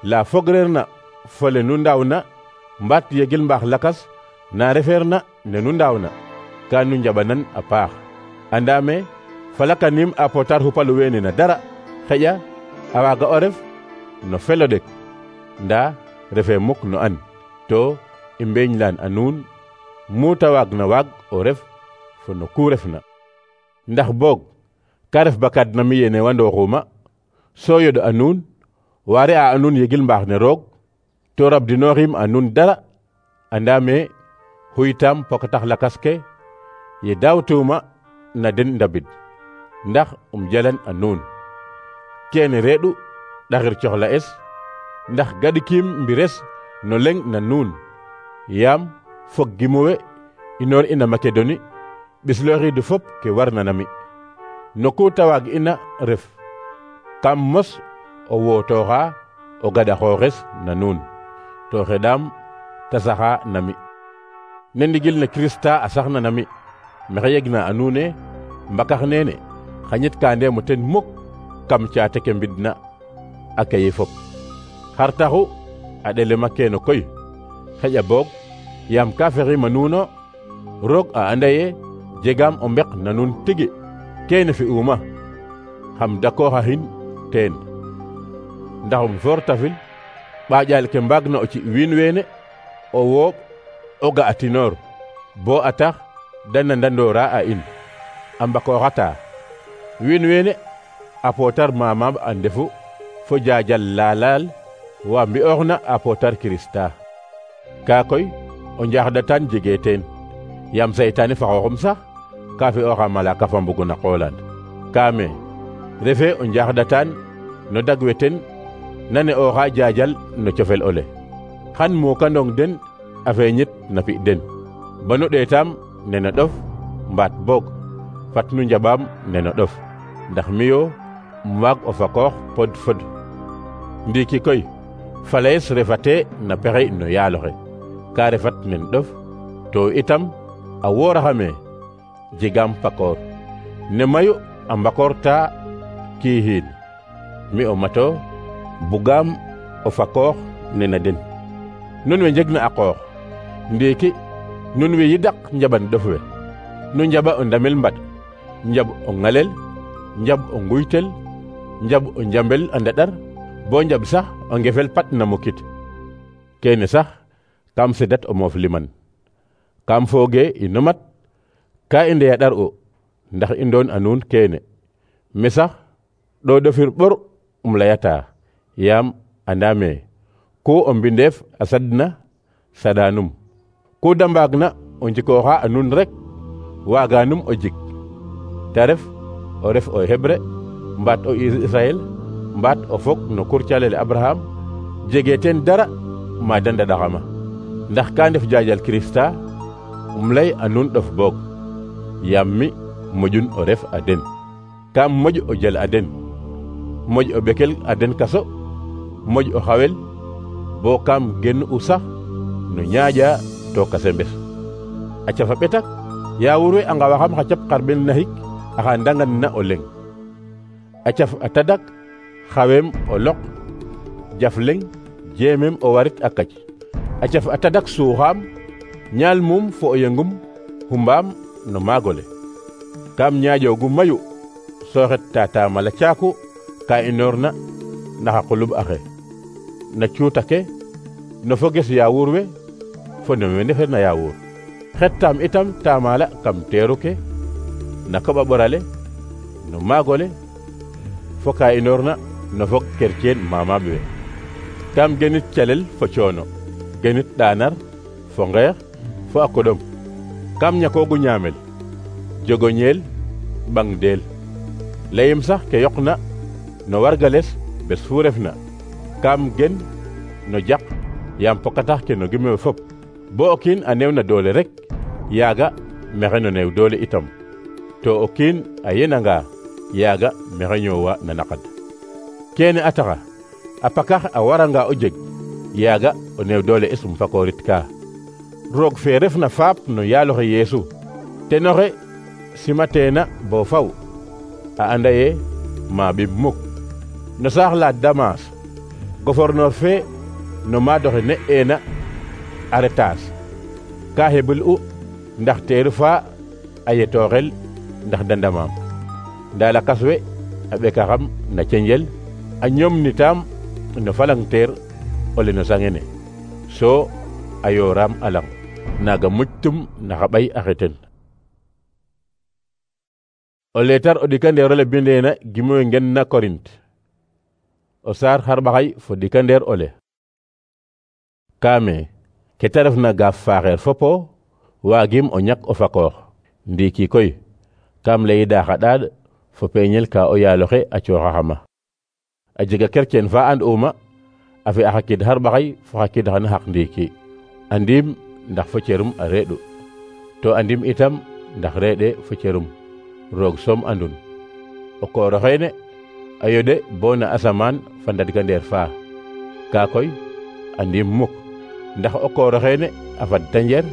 la fogreerna fole nu ndaawna mbaat yegil mbaax lakas na refeerna ne nu ndaawna ka nu njaɓanan a paax andaame falakanim a potar xupalu weene na dara xeƴa a waaga o ref no felo ɗek ndaa refe muk no an to i mbeeñlaan a nuun mu ta waagna waag o ref fo no ku refna ndax boog ka ref bakad na mi yene wandooxuma so yoɗ a nuun waare a nuun yegil mbaax ne roog to rabdinooxim a nuun dara andaame xuytaam pokatax lakas ke ye daawtuuma na den ndabid ndax jalan a nuun keene reeɗu ɗaxir coxla es ndax gaɗikiim mbires no leŋ na nuun yaam fog gimuwe inoor ina Makedoni ɓislooxiidu fop ke warna na mi no ku ta waag ina ref kam mos o wootooxa o gaɗa xooxes na nuun to xeɗaam ta saxa na mi ne ndigil ne Kirista a saxna na mi mexe yegna a nuune mbakax neene xañit ka ndeemo ten muk kam caate ke mbidna a keye fop xar taxu a ɗelema keeno koy xeƴa boog yaam ka fexima nuuno roog a anda ye jegaam o mbek na nuun tigi keene fi'uuma xam dakooxaxin teen ndaxum fortafil ɓaaƴaal ke mbaagna o ci wiin weene o wooɓ o ga'atinoor bo a tax da nandandoora a in a mbakooxata wiin weene a pootar mamaab a ndefu fo jaajal laalaal wa mbi'ooxna a pootar Kirista kaa koy o njaaxɗatan jegee teen yaam saytaane fa xooxum sax ka fi'ooxa malaaka fa mbuguna qoolaan kaame refe o njaaxɗatan no dagwe ten nane ooxa jaajal no cofel ole xan muukandong den a feeñit na fi den banu ɗeetaam nena ɗof mbaat boog fat nu njaɓaam nena ɗof ndax miyo waag o fakoox pod fod ndiiki koy falayes refate na pexey no yaaloxe ka refat nen ɗof to itam a wooraxame jegaam pakoor ne mayu a mbakoorta kiixiin mi o mato bugaam o fakoox nena den nun we njegna a qoox ndiiki nun we yidak njaɓan ɗof we nu njaɓa o ndamel mbad njaɓ o ŋalel njaɓ o nguytel njaɓ o njambel a ndaɗar bo njaɓ sax o ngefel pat na mukit keene sax kam sedat o moof liman kam fooge ino mat ka i ndeya ɗar o ndax i ndoon a nuun keene me sax ɗo dofir ɓor leyata yaam andame ku o mbindeef a sadna saɗanum ku da mbaagna o njikooxa a nuun rek waaganum o jik te ref o Hébreu mbaat o Israël mbaat o fog no kurcalele Abraham jege teen dara ma da ndaɗaxama ndax ka ndef jaajal Kirista ley a nuun ɗof boog yaam mi moƴun o ref a den kam moƴ o jel a den moƴ o ɓekel a den kaso moƴ o xawel bo kam gen u sax no ñaaƴa to kase mbes a cafa ɓetak yaawur we a ngawaxam xa cap xarɓen naxik axa ndangan na o leŋ a caf a tadak xaweem o loq jaf leŋ jeemem o warit a kac a caf a tadak suuxaam ñaal mum fo o yengum xumbaam no maagole kam ñaaƴoogu mayu so xet tatamala caaku ka inoorna naxa qulub axe na cuuta ke no foges yaawur we fo no we ndefeerna yaawur xettaam itam tamala kam teeru ke na koɓa ɓorale no maagole fo ka inoorna no fog kerceen mamaaɓ we kam genit calel fo coono genit ɗaanar fo ngeex fo a koɗom kam ñakoogu ñaamel jogoñeel ɓang deel leyim sax ke yoqna no wargales bes fu refna kam gen no jaq yaam pokatax ke no gimewe fop bo o kiin a neewna doole rek yaaga maxey no neew doole itam to o kiin a yenanga yaaga maxey ñoowa na naqad keene a taxa a pakax a waranga o jeg yaaga o neew doole es fakoorit ka roog fe refna faap no yaaloxe Yeesu tenoxe simateena bo faw a anda ye ma ɓib muk no saax la Damas gouverneur fe no maadoxe ne eena Aretas ka xeɓul u ndax teeru fa a yetooxel ndax da ndamaam nda lakas we a ɓekaxam na cenjel a ñoomnitaam no falangteer o le no sangene so a yooraam a lang naaga muctum na xa ɓay axe ten o leetar o ɗikandeer ole bindeena gimoyo ngen na Korint o saar xarɓaxay fo ɗikandeer ole kaame ke ta refna gaaf faaxeer fopo waagim o ñak o fakoox ndiiki koy kam leyida xa ɗaaɗ fo peeñel ka o yaaloxe a cooxaxama a jega kerceen fa and'uma a fi'a xa kid xarɓaxay fo xa kid xana xaq ndiiki andiim ndax fo cerum a reeɗu to andim itam ndax reeɗe fo cerum roog soom andun o koor oxeene a yoɗe bo na asamaan fa ndadgandeer fa ka koy andim muk ndax o koor oxeene a fad tanjer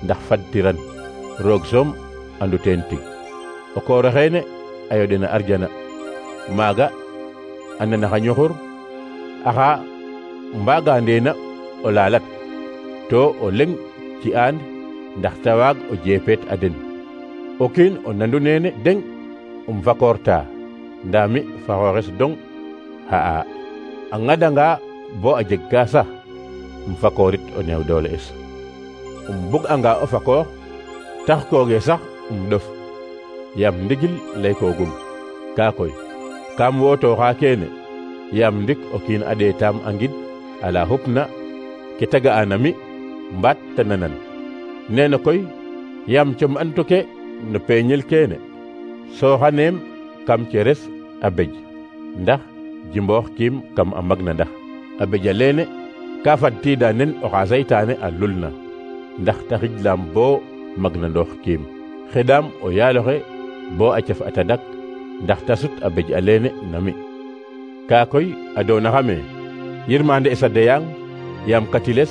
ndax fadtiran roog soom andu teen tig o koor oxeene a yoɗe na arjana maaga a nana xa ñuxur axa mbaagandeena o laalat to o leŋ ci aan ndax ta waag o jeepeet a den o kiin o nandu neene deŋ fakoorta ndaa mi fa xooxes dong xa'a a ŋadanga bo a jeg ka sax fakoorit o neew doole es bug'anga o fakoox tax kooge sax ɗof yaam ndigil laykoogum kaa koy kam wootooxa keene yaam ndik o kiin a ɗeetaam a ngid ala xupna ke ta ga'ana mi mbaat ta nanan neena koy yaam com antu ke no peeñel keene sooxaneem kam ceres a bej ndax jimboox kiim kam a magna ndax a beja leene ka fadtiida nen oxa saytaane a lulna ndax ta xijlaam bo magna ndoox kiim xeɗaam o yaaloxe bo a caf a tadak ndax ta sut a bej a leene na mi kaa koy a doonaxame yirmande es a deyang yaam katiles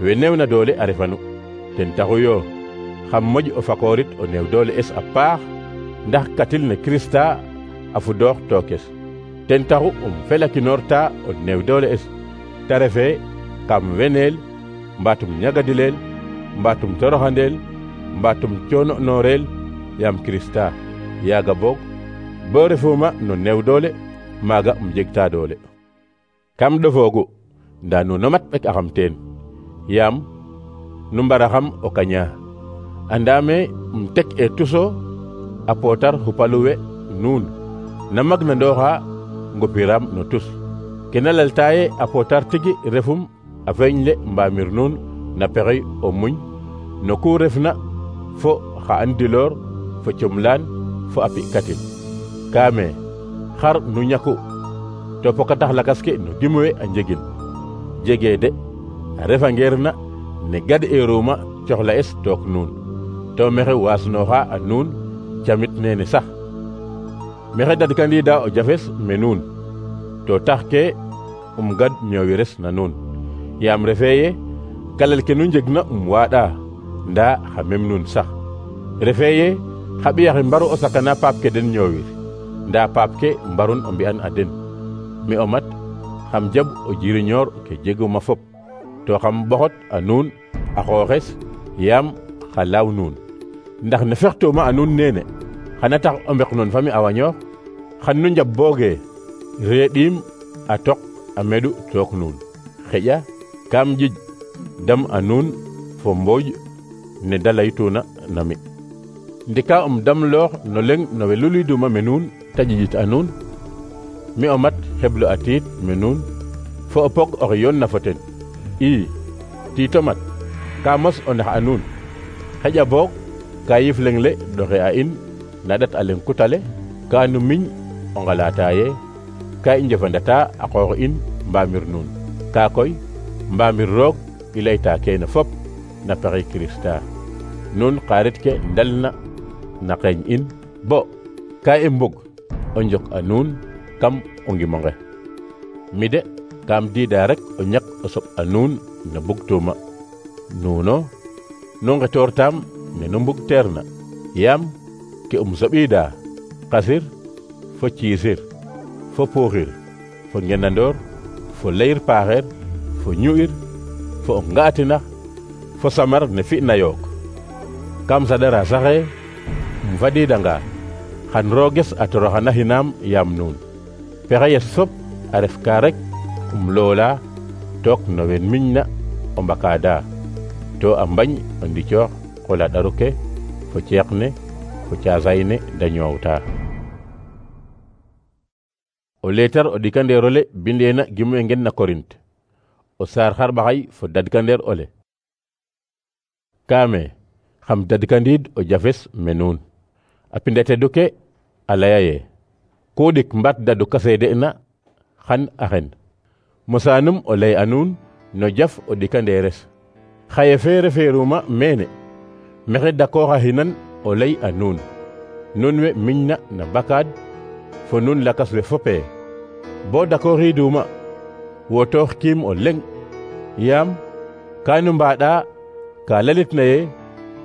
we neewna doole a refanu ten taxu yo xam moƴ o fakoorit o neew doole es a paax ndax katil ne Krista a fudoox tookes ten taxu felakinoorta o neew doole es ta refe kam weneel mbaatum ñagadileel mbaatum toroxandeel mbaatum coono nooreel yaam Krista yaaga boog bo refuma no neew doole maaga jegta doole kam ɗofoogu ndaa nuno mat ɓek axam teen yaam nu mbaraxam o kaña andame tek e tuso a potar hupaluwe nuun na mag na ndoxa ngopiram no tus kena laltaye a potar tigi refum a feeñle mbamir nuun na pexey o muñ no ku refna fo xa andilor fo comlaan fo a pi'katin kaame xar nu ñaku to pokatax lakas ke no dimwe a njegin jege de a refa ngeerna ne gad eruma coxla es took nuun to mexe waasnoxa a nuun camit nene sax mexe dadkandida o jafes me nuun to tax ke gad ñoowires na nuun yaam refe ye kalel ke nu njegna waaɗa nda xa mem nuun sax refe ye xa ɓiyaxe mbaru o sakana paap ke den ñoowir nda paap ke mbarun o mbi'an a den mi o mat xam jaɓ o jiriñoor ke jeguma fop to xam ɓoxot a nuun a xooxes yaam xa laaw nuun ndax ne fextuma a nuun nene xana tax o mbek noon fami a wañoox xan nu njaɓ booge reeɗiim a tok a meɗu took nuun xeƴa kam jij dam a nuun fo mbooj ne da laytuna na mi ndika damloox no leŋ no we luliduma me nuun ta ƴiƴit a nuun mi o mat xeblo a tiid me nuun fo o pog oxe yoon na fo ten tiito mat ka mos o nax a nuun xeƴa boog ka yif leŋ le ɗoxe a in na ɗat a leŋ kutale ka nu miñ o ngalataye ka i njefandata a qoox in mbamir nuun ka koy mbamir roog i layta kene fop na pexey Kirista nuun xarit ke ndalna na qeeñ in bo ka i mbug o njok a nuun kam o ngimonge mi de kam diida rek o ñak o soɓ a nuun na bugtuma nuuno nu ngetoortam ne nu mbug teerna yaam ke soɓida qasir fo ciisir fo puuxir fo ngenandoor fo leyir paaxeer fo ñu'ir fo o nga'atinax fo samar ne fi'na yook kam saɗara saxe fadidanga xan rooges a toroxana xinaam yaam nuun pexeyes fop a ref ka rek loola took no wen miñna o mbakaada to a mbañ o ndicoox qola ɗaru ke fo ceeq ne fo caasay ne da ñoowta o leetar o ɗikandeerole bindeena gimwe ngen na Korint o saar xarɓaxay fo dadkandeer ole kaame xam dadkandiid o jafes me nuun a pindatedu ke a laya ye ku ɗik mbat dadu ka seede'na xan a xen mosaanum o lay a nuun no jaf o ɗikandeeres xaye fe refeeruma meene mexe dakooxa xinan o lay a nuun nun we miñna na bakaad fo nun lakas we fopee bo dakooxiiduma wotoox kiim o leŋ yaam ka nu mbaaɗa ka lalitna ye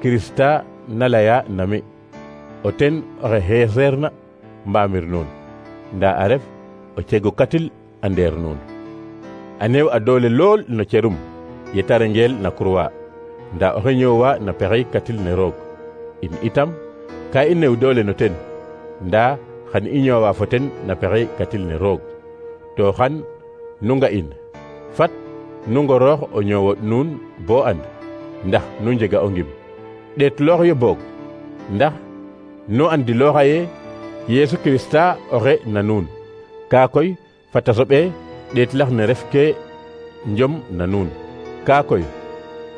Kirista na laya na mi o ten oxe xeeseerna mbamir nuun nda a ref o cegu katil a ndeer nuun a neew a doole lool no cerum ye ta rengeel na kurwa nda oxe ñoowa na pexey katil ne roog in itam ka i neew doole no ten nda xan i ñoowa fo ten na pexey katil ne roog to xan nu nga in fat nu ngoroox o ñoowot nuun bo and ndax nu njega o ngim ɗeetloox yo boog ndax nu andilooxa ye Yeesu Kirista oxe na nuun kaa koy fata soɓee ɗeetlax ne ref ke njom na nuun kaa koy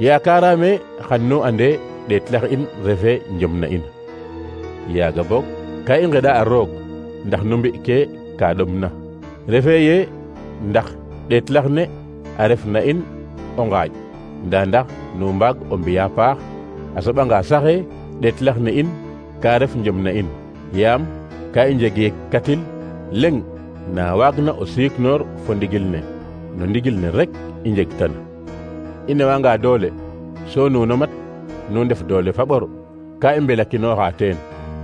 yaakaaraame xan nu ande ɗeetlax in refe njom na in yaaga boog ka i ngeɗa a roog ndax nu mbi ke ka ɗomna refe ye ndax ɗeetlax ne a ref na in o ngaaƴ nda ndax nu mbaag o mbiya paax a soɓanga saxe ɗeetlax ne in ka ref njom na in yaam ka i njege katil leŋ na waagna o siiknoor fo ndigil ne no ndigil ne rek i njegtan i newanga doole so nuuno mat nu ndef doole fa ɓor ka i mbelakinooxa teen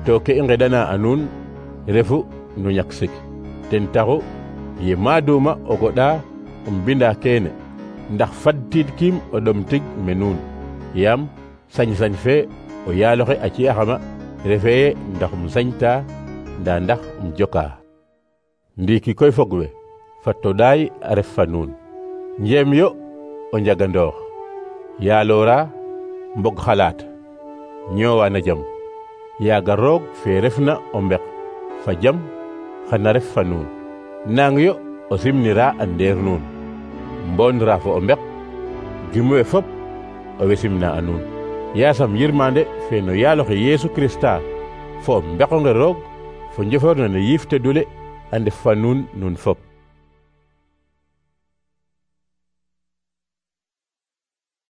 to ke i ngeɗana a nuun refu nu ñak sik ten taxu ye maaduma o goɗa um binda keene ndax fadtiid kiim o ɗom tig me nuun yaam sañ-sañ fe o yaaloxe a ci'axama refe ye ndax um sañta nda ndax um joka ndiiki koy fog we fat to ɗaay a ref fa nuun njeem yo o njagandoox yaaloora mbog xalaat ñoowana jam. Yaaga roog fe refna o mbek fa jam xana ref fa nuun. Nang yo o simnira a ndeer nuun. Mboonra fo o mbek gimu we fop owey simna a nuun. Yaasam yirmande fe no yaaloxe Yeesu Krista fo o mbeqonge roog fo njofoor ne no yiif tedule a ndef fa nuun nun fop.